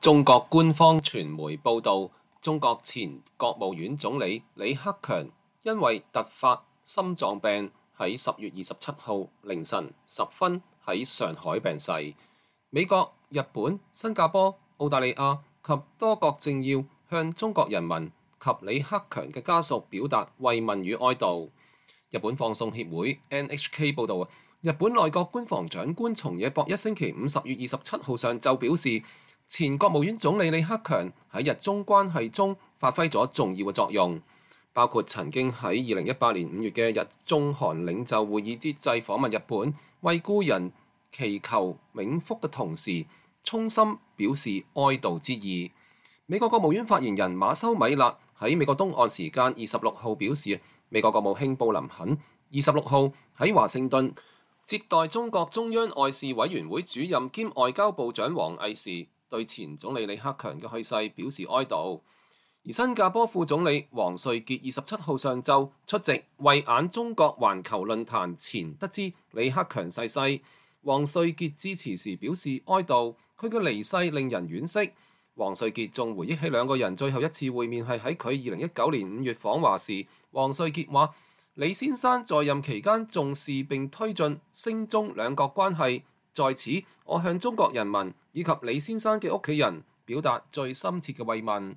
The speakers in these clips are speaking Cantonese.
中國官方傳媒報導，中國前國務院總理李克強因為突發心臟病，喺10月27號凌晨10分喺上海病逝。美國、日本、新加坡、澳大利亞及多國政要向中國人民及李克強嘅家屬表達慰問與哀悼。日本放送協會 NHK 報導，日本內閣官房長官松野博一星期5 10月27號上晝表示，前國務院總理李克強喺日中關係中發揮咗重要嘅作用，包括曾經喺2018年5月嘅日中韓領袖會議之際訪問日本，為故人祈求冥福嘅同時，衷心表示哀悼之意。美國國務院發言人馬修米勒喺美國東岸時間26號表示，美國國務卿布林肯26號喺華盛頓接待中國中央外事委員會主任兼外交部長王毅時，對前總理李克強嘅去世表示哀悼。而新加坡副總理王瑞傑27號上晝出席慧眼中國環球論壇前，得知李克強逝世。王瑞傑致辭時表示哀悼，佢嘅離世令人惋惜。王瑞傑仲回憶起兩個人最後一次會面係喺佢2019年5月訪華時。王瑞傑話：李先生在任期間重視並推進星中兩國關係，在此我向中國人民以及李先生嘅屋企人表達最深切嘅慰問。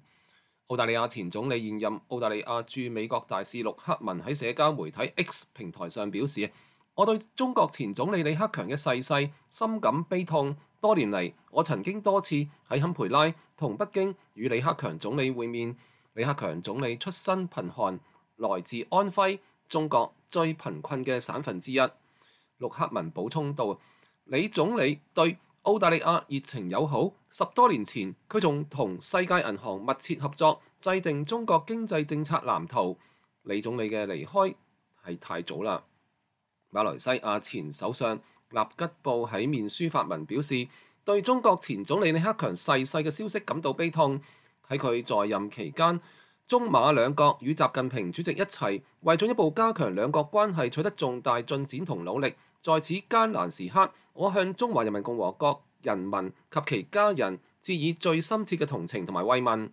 澳大利亞前總理現任澳大利亞駐美國大使陸克文喺社交媒體 X 平台上表示：我對中國前總理李克強嘅逝世深感悲痛。多年嚟，我曾經多次喺堪培拉同北京與李克強總理會面。李克強總理出身貧寒，來自安徽，中國最貧困嘅省份之一。陸克文補充道：李總理對澳大利亞熱情友好，10多年前佢仲同世界銀行密切合作，制定中國經濟政策藍圖。李總理嘅離開係太早啦。馬來西亞前首相納吉布喺面書發文表示，對中國前總理李克強逝世嘅消息感到悲痛。喺佢在任期間，中馬兩國與習近平主席一齊為進一步加強兩國關係取得重大進展同努力。在此艱難時刻，我向中華人民共和國人民及其家人致以最深切嘅同情同埋慰問。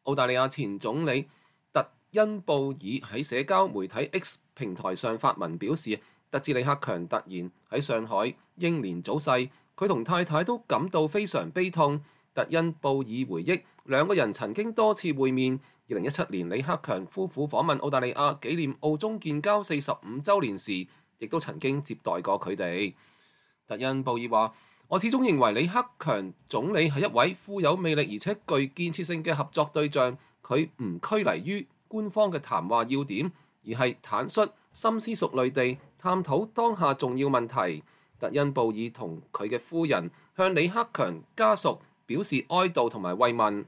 澳大利亞前總理特恩布爾喺社交媒體 X 平台上發文表示，得知李克強突然喺上海英年早逝，佢同太太都感到非常悲痛。特恩布爾回憶，兩個人曾經多次會面。2017年，李克強夫婦訪問澳大利亞紀念澳中建交45週年時，亦都曾經接待過佢哋。特恩布爾話：我始終認為李克強總理係一位富有魅力而且具建設性嘅合作對象。佢唔拘泥於官方嘅談話要點，而係坦率、深思熟慮地探討當下重要問題。特恩布爾同佢嘅夫人向李克強家屬表示哀悼同埋慰問。